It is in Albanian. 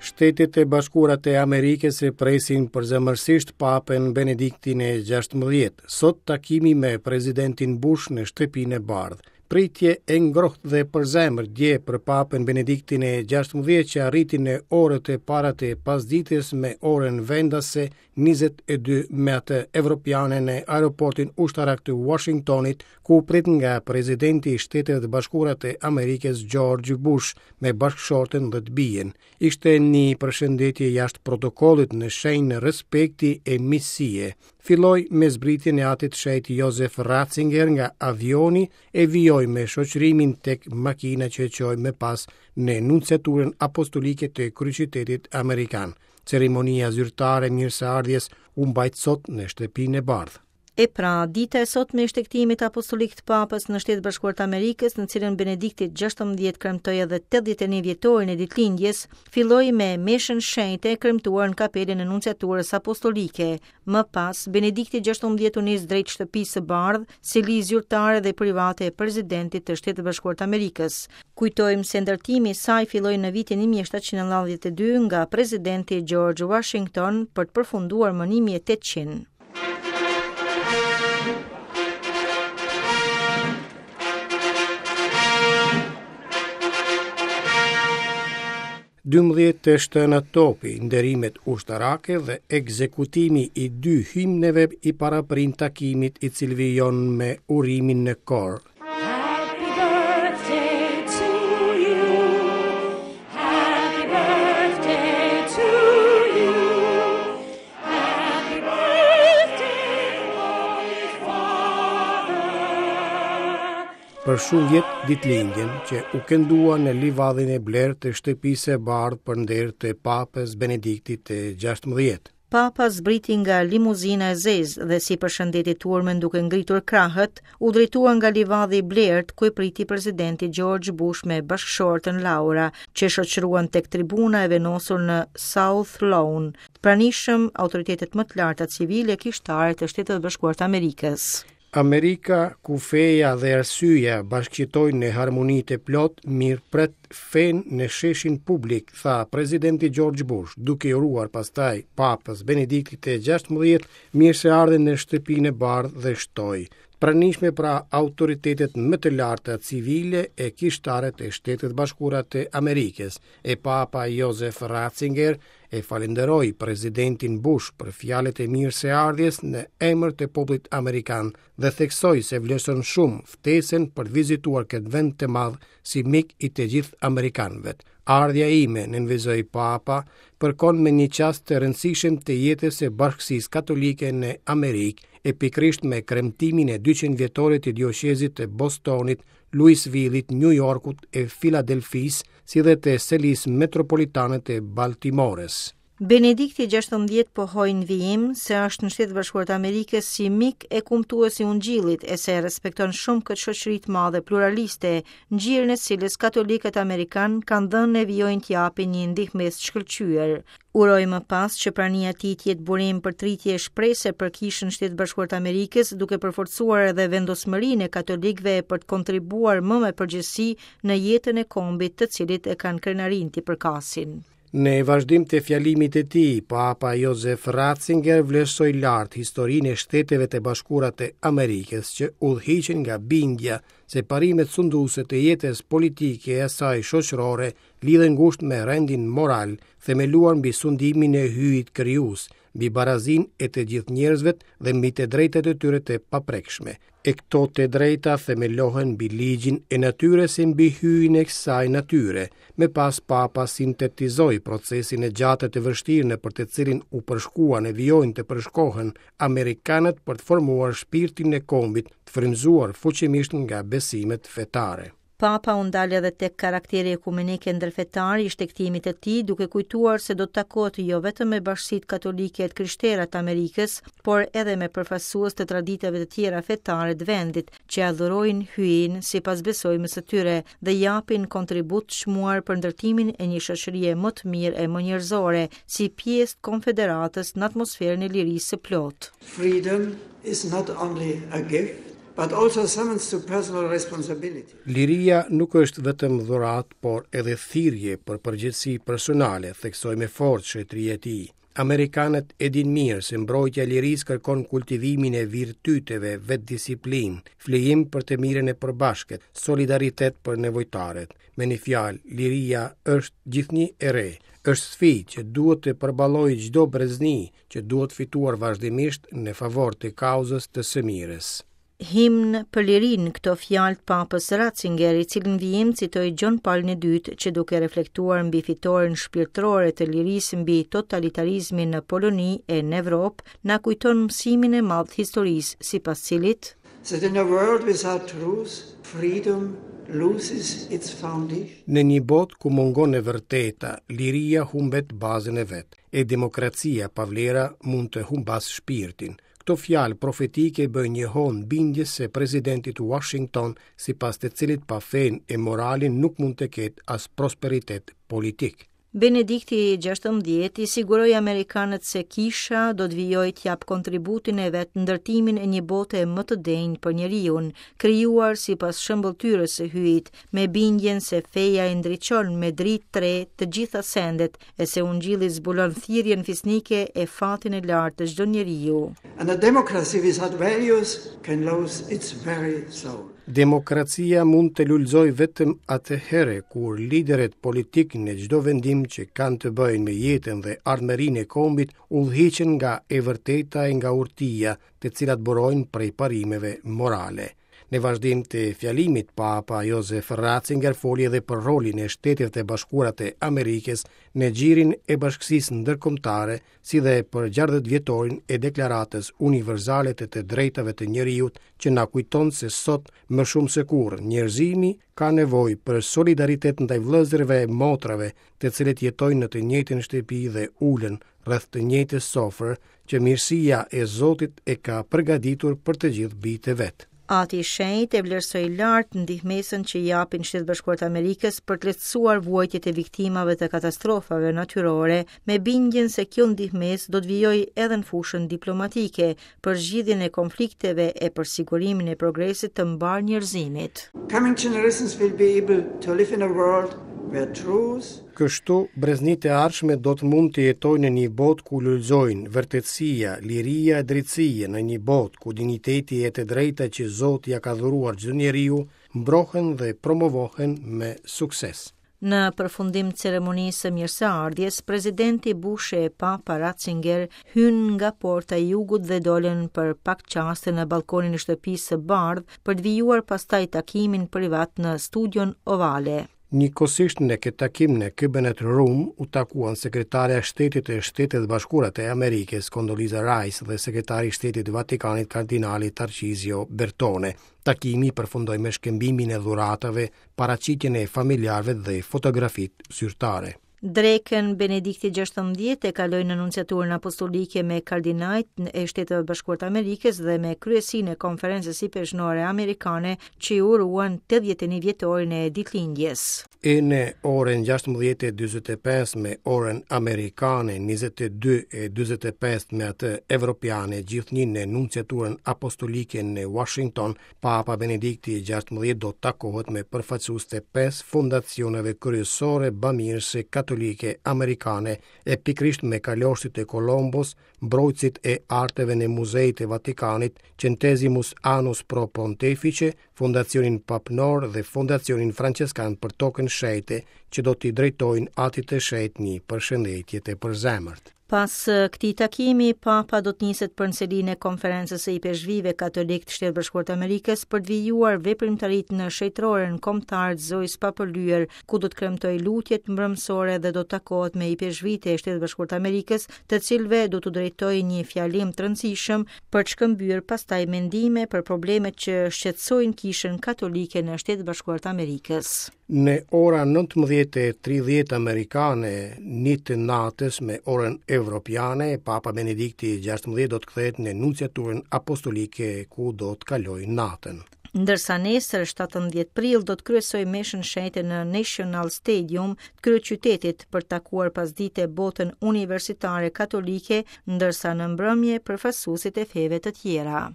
Shtetet e Bashkuara të Amerikës e presin përzemërsisht Papën Benediktin e 16. Sot takimi me presidentin Bush në Shtëpinë e Bardhë. Pritje e ngrohtë dhe përzemërt dje për Papën Benediktin e 16 që arriti në orët e para të pasdites me orën vendase 22 me atë evropiane në aeroportin ushtarak të Washingtonit, ku u prit nga presidenti i Shteteve të Bashkuara të Amerikës George Bush me bashkëshorten dhe të bijën. Ishte një përshëndetje jashtë protokollit në shenjë respekti e miqësie. Filloi me zbritjen e atit të shenjtë Josef Ratzinger nga avioni e vijoi me shoqërimin tek makina që e çoi më pas në nunciaturën apostolike të kryeqytetit amerikan. Ceremonia zyrtare e mirëseardhjes u mbajt sot në Shtëpinë e Bardhë. E pra, dita e sotme e shtegtimit apostolik të Papës në Shtetet e Bashkuara të Amerikës, në cilën Benedikti 16 kremtoi edhe 81 vjetorin e ditëlindjes, filloi me meshën shenjte kremtuar në kapelën e nunciaturës apostolike. Më pas, Benedikti 16 u nis drejt Shtëpisë së Bardhë, seli zyrtare dhe private e presidentit të Shteteve të Bashkuara të Amerikës. Kujtojmë se ndërtimi i saj filloi në vitin 1792 nga presidenti George Washington për të përfunduar më 1800. 12 të shtëna topi, nderimet ushtarake dhe ekzekutimi i dy himneve i paraprin takimit i cili vijon me urimin në kor. Happy birthday to you. Happy birthday to you. Happy birthday, Holy Father. Për shumë vjet ditëlindjen që u këndua në livadhin e blertë të Shtëpisë së Bardhë për nder të Papës Benediktit të 16. Papa zbriti nga limuzina e zezë dhe si përshëndeti turmën duke ngritur krahët, u drejtua nga livadhi i blertë ku e priti presidenti George Bush me bashkëshorten Laura, që e shoqëruan tek tribuna e vendosur në South Lawn. Të pranishëm autoritetet më të larta civile e kishtare të Shteteve të Bashkuara të Amerikës. Amerika, ku feja dhe arsyeja bashkëjetojnë në harmoni të plotë, mirëpret fenë në sheshin publik, tha presidenti George Bush, duke i uruar pastaj Papës Benediktit të 16 mirëseardhjen në Shtëpinë e Bardhë dhe shtoi, Të pranishme pra autoritetet më të larta civile e kishtare të Shteteve të Bashkuara të Amerikës, e Papa Josef Ratzinger e falënderoi presidentin Bush për fjalët e mirëseardhjes në emër të popullit amerikan dhe theksoi se vlerëson shumë ftesën për të vizituar këtë vend të madh si mik i të gjithë amerikanëve. Ardhja ime, nënvizoi Papa, përkon me një çast të rëndësishëm të jetës së bashkësisë katolike në Amerikë, e pikërisht me kremtimin e 200 vjetorit të dioqezit të Bostonit, Louisville-it, New Yorkut e Filadelfisë, si dhe të selisë metropolitane të Baltimores. Benedikti 16 pohoi në vijim se është në Shtetet e Bashkuara të Amerikës si mik e kumtues i Ungjillit e se e respekton shumë këtë shoqëri të madhe pluraliste, në gjirin e cilës katolikët amerikanë kanë dhënë e vijojnë të japin një ndihmesë të shkëlqyer. Uroi më pas që prania e tij të jetë burim përtëritje e shprese për Kishën në Shtetet e Bashkuara të Amerikës, duke përforcuar edhe vendosmërinë e katolikëve për të kontribuar më me përgjegjësi në jetën e kombit të cilit e kanë krenarinë t'i përkasin. Në vazhdim të fjalimit të tij, Papa Josef Ratzinger vlerësoi lart historinë e Shteteve të Bashkuara të Amerikës që udhëhiqen nga bindja se parimet sunduese të jetës politike e asaj shoqërore lidhen ngushtë me rendin moral, themeluar mbi sundimin e Hyjit krijues, mbi barazinë e të gjithë njerëzve dhe mbi të drejtat e tyre të paprekshme. E këto të drejta themelohen mbi ligjin e natyrës e mbi Hyjin e kësaj natyre. Më pas Papa sintetizoi procesin e gjatë e të vështirë nëpër të cilin u përshkuan e vijojnë të përshkohen amerikanët për të formuar shpirtin e kombit, të frymëzuar fuqimisht nga besimet fetare. Papa u ndal edhe tek karakteri ekumenik e ndërfetar i shtegtimit të tij, duke kujtuar se do të takohet jo vetëm me bashkësitë katolike e të krishtera të Amerikës, por edhe me përfaqësues të traditave të tjera fetare të vendit, që adhurojnë Hyjin sipas besojmës së tyre dhe japin kontribut të çmuar për ndërtimin e një shoqërie më të mirë e më njerëzore, si pjesë të konfederatës në atmosferën e lirisë së plotë. Freedom is not only a gift, But also summons to personal responsibility. Liria nuk është vetëm dhuratë, por edhe thirrje për përgjegjësi personale, theksoi me forcë shenjtëria e tij. Amerikanët e dinë mirë se mbrojtja e lirisë kërkon kultivimin e virtyteve, vetëdisiplinë, flijim për të mirën e përbashkët, solidaritet për nevojtarët. Me një fjalë, liria është gjithnjë e re, është sfidë që duhet të përballojë çdo brezni, që duhet fituar vazhdimisht në favor të kauzës të së mirës. Himn për lirinë këto fjalë të Papës Ratzinger, i cili në vijim citoi Gjon Palin e Dytë, që duke reflektuar mbi fitoren shpirtërore të lirisë mbi totalitarizmin në Poloni e në Evropë, na kujton mësimin e madh të historisë, sipas cilit That in a world without truth, freedom loses its foundation. Në një botë ku mungon e vërteta, liria humbet bazën e vet, e demokracia pa vlera mund të humbasë shpirtin. Këto fjalë profetike bëjnë jehonë bindjes së presidentit Washington, sipas të cilit pa fenë e moralin nuk mund të ketë as prosperitet politik. Benedikti XVI i siguroi amerikanët se kisha do të vijojë të japë kontributin e vet në ndërtimin e një bote më të denjë për njeriun, krijuar sipas shëmbëlltyrës së Hyjit, me bindjen se feja i ndriçon me dritë të re të gjitha sendet e se Ungjilli zbulon thirrjen fisnike e fatin e lartë të çdo njeriu. And a democracy without values can lose its very soul. Demokracia mund të lulëzojë vetëm atëherë kur liderët politikë në çdo vendim që kanë të bëjnë me jetën dhe ardhmërinë e kombit udhëhiqen nga e vërteta e nga urtia, të cilat burojnë prej parimeve morale. Në vazhdim të fjalimit, Papa Josef Ratzinger foli edhe për rolin e Shteteve të Bashkuara të Amerikës në gjirin e bashkësisë ndërkombëtare, si dhe për 60 vjetorin e Deklaratës Universale të të Drejtave të Njeriut, që na kujton se sot më shumë se kurrë njerëzimi ka nevojë për solidaritet ndaj vëllezërve e motrave, të cilët jetojnë në të njëjtën shtëpi dhe ulen rreth të njëjtës sofrë që mirësia e Zotit e ka përgatitur për të gjithë bijtë e vet. Ati i Shenjtë e vlerësoi lart ndihmesën që japin Shtetet e Bashkuara të Amerikës për të lehtësuar vuajtjet e viktimave të katastrofave natyrore, me bindjen se kjo ndihmesë do të vijojë edhe në fushën diplomatike, për zgjidhjen e konflikteve e për sigurimin e progresit të mbarë njerëzimit. Coming generations will be able to live in a world where truth, Kështu, breznitë e ardhshme do të mund të jetojnë në një botë ku lulëzojnë vërtetësia, liria e drejtësia, në një botë ku dinjiteti e të drejta që Zoti ia ka dhuruar çdo njeriu mbrohen dhe promovohen me sukses. Në përfundim të ceremonisë së mirëseardhjes, presidenti Bush e Papa Ratzinger hynë nga porta e jugut dhe dolën për pak çaste në ballkonin e Shtëpisë së Bardhë për të vijuar pastaj takimin privat në studion ovale. Njëkohësisht në këtë takim në Cabinet Room u takuan sekretarja e Shtetit të Shteteve të Bashkuara të Amerikës, Condoleezza Rice dhe sekretari i Shtetit të Vatikanit, kardinali Tarcizio Bertone. Takimi përfundoi me shkëmbimin e dhuratave, paraqitjen e familjarëve dhe fotografitë zyrtare. Drekën Benedikti XVI e kaloi në Nunciaturën Apostolike me kardinajt e Shteteve të Bashkuara të Amerikës dhe me kryesinë e Konferencës Ipeshkvnore Amerikane që i uruan 81 vjetorin e ditëlindjes. E në orën 16:45 me orën amerikane, 22:45 me atë evropiane, gjithnjë në Nunciaturën Apostolike në Washington, Papa Benedikti XVI do të takohet me përfaqësues të pesë fondacioneve kryesore bamirëse katolike amerikane e pikërisht me kalorësit e Kolombos, mbrojtësit e arteve në muzetë e Vatikanit, Centesimus Annus Pro Pontefice, Fondacionin Papnor dhe Fondacionin Françeskan për Tokën Shenjte, që do t'i drejtojnë Atit të Shenjtë një përshëndetje të përzemërt. Pas këtij takimi, Papa do të niset për në selinë e Konferencës së Ipeshkvijve Katolikë të Shteteve të Bashkuara të Amerikës për të vijuar veprimtaritë në Shenjtëroren Kombëtare të Zojës së Papërlyer, ku do të kremtojë lutjet mbrëmësore dhe do të takohet me ipeshkvijtë e Shteteve të Bashkuara të Amerikës, të cilëve do t'u drejtojë një fjalim të rëndësishëm për të shkëmbyer pastaj mendime për problemet që shqetësojnë Kishën Katolike në Shtetet e Bashkuara të Amerikës. Në ora 19:30 amerikane, një të natës me orën evropiane, Papa Benedikti XVI do të kthehet në Nunciaturën Apostolike ku do të kalojë natën. Ndërsa nesër 17 prill do të kryesojë meshën shenjte në National Stadium të kryeqytetit për të takuar pasdite botën universitare katolike, ndërsa në mbrëmje përfaqësuesit e feve të tjera.